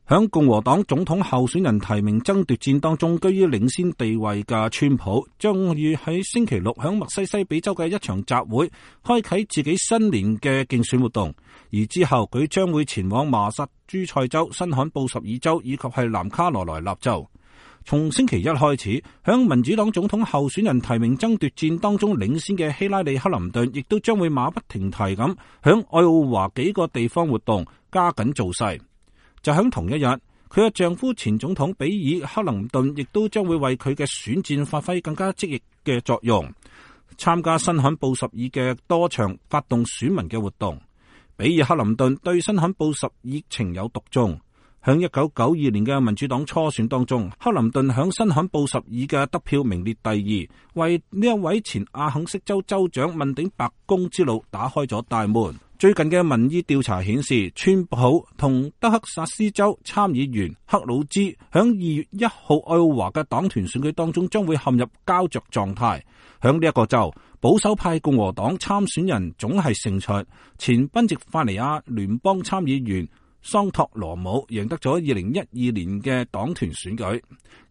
響共和黨總統候選人提名爭奪戰當中，居於領先地位嘅川普將於喺星期六響密西西比州嘅一場集會開啟自己新年嘅競選活動，而之後佢將會前往麻薩諸塞州、新罕布什爾州以及係南卡羅來納州。從星期一開始，響民主黨總統候選人提名爭奪戰當中領先嘅希拉里·克林頓亦都將會馬不停蹄咁響愛奧華幾個地方活動，加緊造勢。就喺同一日，佢嘅丈夫前總統比爾·克林頓亦都將會為佢嘅選戰發揮更加積極嘅作用，參加新罕布什爾嘅多場發動選民嘅活動。比爾·克林頓對新罕布什爾情有獨鍾。喺1992年嘅民主黨初選當中，克林頓喺新罕布什爾嘅得票名列第二，為呢一位前阿肯色州州長問鼎白宮之路打開咗大門。最近嘅民意調查顯示，川普同德克薩斯州參議員克魯茲響2月1號愛奧華嘅黨團選舉當中將會陷入膠着狀態。響呢一個州，保守派共和黨參選人總係勝出，前賓夕法尼亞聯邦參議員桑托羅姆贏得咗2012年嘅黨團選舉。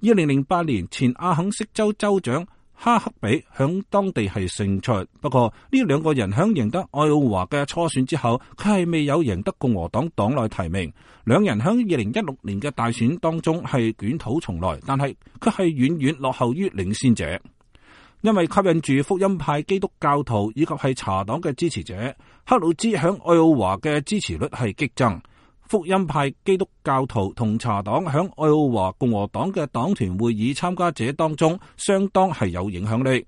2008年前阿肯色州州長哈克比響當地係勝出，不過呢兩個人響贏得愛奧華嘅初選之後，佢係未有贏得共和黨黨內提名。兩人響2016年嘅大選當中係捲土重來，但係佢係遠遠落後於領先者。因為吸引住福音派基督教徒以及係茶黨嘅支持者，克魯茲響愛奧華嘅支持率係激增。福音派基督教徒同茶黨響愛奧華共和黨嘅黨團會議參加者當中相當係有影響力。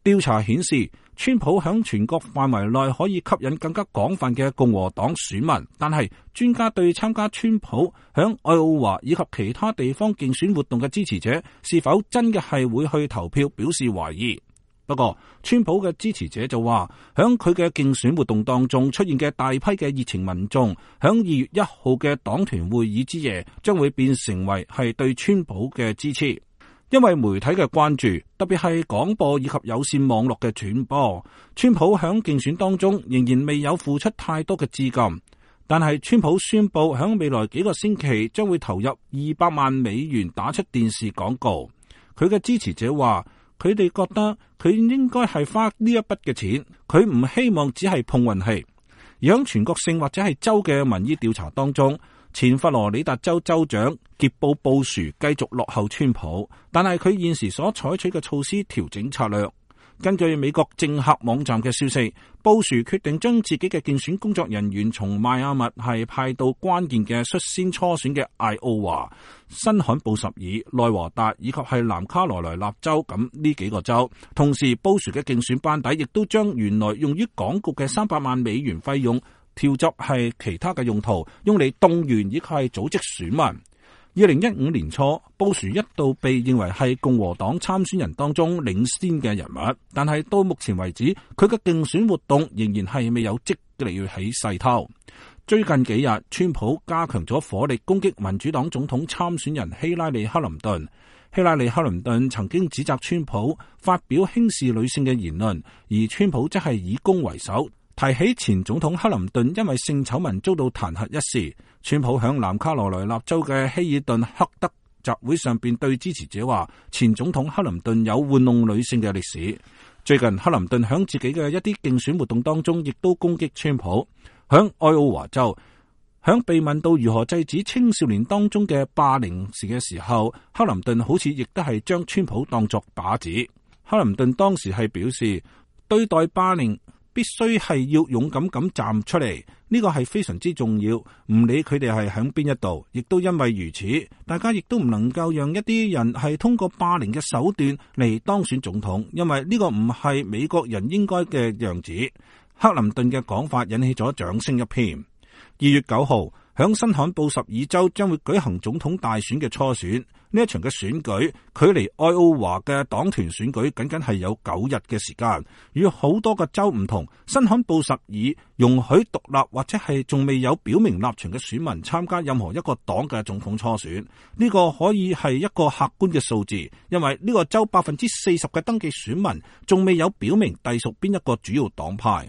調查顯示，川普響全國範圍內可以吸引更加廣泛嘅共和黨選民，但係專家對參加川普響愛奧華以及其他地方競選活動嘅支持者是否真嘅係會去投票表示懷疑。不過，川普嘅支持者就話，響佢嘅競選活動當中出現嘅大批嘅熱情民眾，響2月1號嘅黨團會議之夜，將會變成為係對川普嘅支持。因為媒體嘅關注，特別係廣播以及有線網絡嘅傳播，川普響競選當中仍然未有付出太多嘅資金。但係川普宣布響未來幾個星期將會投入200萬美元打出電視廣告。佢嘅支持者話，佢哋覺得佢應該係花呢一筆嘅錢，佢唔希望只係碰運氣。而喺全國性或者係州嘅民意調查當中，前佛羅里達州州長傑布殊繼續落後川普，但係佢現時所採取嘅措施調整策略。根據美國政客網站嘅消息，布殊決定將自己嘅競選工作人員從邁阿密係派到關鍵嘅率先初選嘅艾奧華、新罕布什爾、內華達以及係南卡羅來納州咁呢幾個州。同時，布殊嘅競選班底亦都將原來用於廣告嘅300萬美元費用調作係其他嘅用途，用嚟動員以及係組織選民。2015年初，布殊一度被認為係共和黨參選人當中領先嘅人物，但係到目前為止，佢嘅競選活動仍然係未有積極起勢頭。最近幾日，川普加強咗火力攻擊民主黨總統參選人希拉里·克林頓。希拉里·克林頓曾經指責川普發表輕視女性嘅言論，而川普則係以攻為守。提起前總統克林頓因為性醜聞遭到彈劾一事，川普響南卡羅來納州嘅希爾頓克德集會上邊對支持者話，前總統克林頓有玩弄女性嘅歷史。最近克林頓響自己嘅一啲競選活動當中，亦都攻擊川普。響愛奧華州，響被問到如何制止青少年當中嘅霸凌時嘅時候，克林頓好似亦都係將川普當作靶子。克林頓當時係表示，對待霸凌必須係要勇敢咁站出嚟，呢個係非常之重要。唔理佢哋係響邊一度，亦都因為如此，大家亦都唔能夠讓一啲人係通過霸凌嘅手段嚟當選總統，因為呢個唔係美國人應該嘅樣子。克林頓嘅講法引起咗掌聲一片。2月9號，響新罕布什爾州將會舉行總統大選嘅初選。呢一場嘅選舉距離愛奧華嘅黨團選舉僅僅係有9日嘅時間。與好多個州唔同，新罕布什爾容許獨立或者係仲未有表明立場嘅選民參加任何一個黨嘅總統初選。呢個可以係一個客觀嘅數字，因為呢個州40%嘅登記選民仲未有表明隸屬邊一個主要黨派。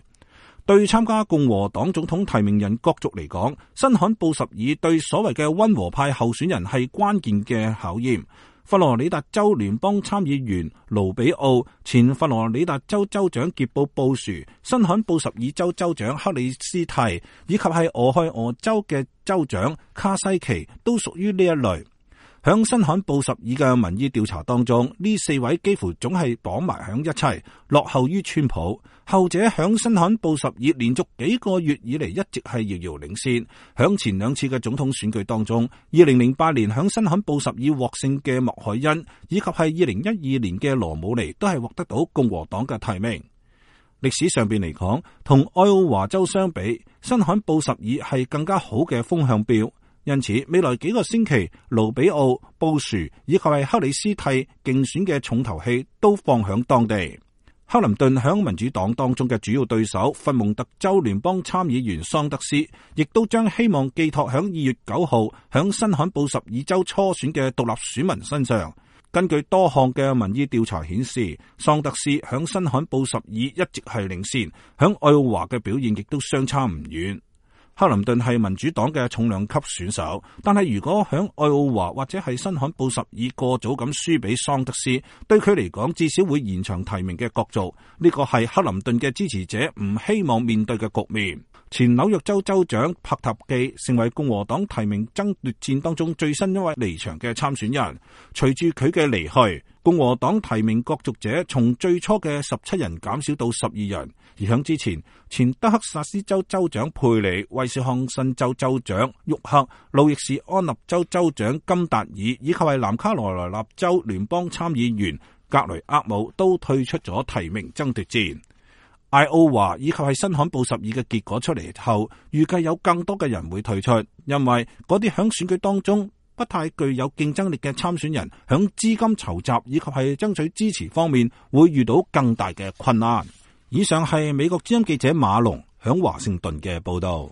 對參加共和黨總統提名人角逐嚟講，新罕布什爾對所謂嘅溫和派候選人係關鍵嘅考驗。佛羅里達州聯邦參議員盧比奧、前佛羅里達州州長傑布布殊、新罕布什爾州州長克里斯蒂，以及係俄亥俄州嘅州長卡西奇都屬於呢一類。響新罕布什爾嘅民意調查當中，呢四位幾乎總係綁埋響一齊，落後於川普。後者響新罕布什爾連續幾個月以嚟一直係遙遙領先。響前兩次嘅總統選舉當中，2008年響新罕布什爾獲勝嘅麥凱恩，以及係2012年嘅羅姆尼都係獲得到共和黨嘅提名。歷史上邊嚟講，同愛奧華州相比，新罕布什爾係更加好嘅風向標。因此，未來幾個星期，盧比奧、布殊以及係克里斯蒂競選嘅重頭戲都放響當地。克林頓響民主黨當中嘅主要對手佛蒙特州聯邦參議員桑德斯，亦都將希望寄託響2月9號響新罕布什爾州初選嘅獨立選民身上。根據多項嘅民意調查顯示，桑德斯響新罕布什爾一直係領先，響愛奧華嘅表現亦都相差唔遠。克林頓係民主黨嘅重量級選手，但係如果響愛奧華或者係新罕布什爾過早咁輸俾桑德斯，對佢嚟講至少會延長提名嘅角逐。呢個係克林頓嘅支持者唔希望面對嘅局面。前紐約州州長帕塔基成為共和黨提名爭奪戰當中最新一位離場嘅參選人。隨住佢嘅離去，共和黨提名角逐者從最初嘅17人減少到12人。而響之前，前德克薩斯州州長佩里、威斯康辛州州長沃克、路易士安納州州長金達爾以及係南卡羅來納州聯邦參議員格雷厄姆都退出咗提名爭奪戰。艾奧華以及係新罕布什爾嘅結果出嚟後，預計有更多嘅人會退出，因為嗰啲響選舉當中不太具有競爭力嘅參選人，響資金籌集以及係爭取支持方面會遇到更大嘅困難。以上係美國之音記者馬龍響華盛頓嘅報道。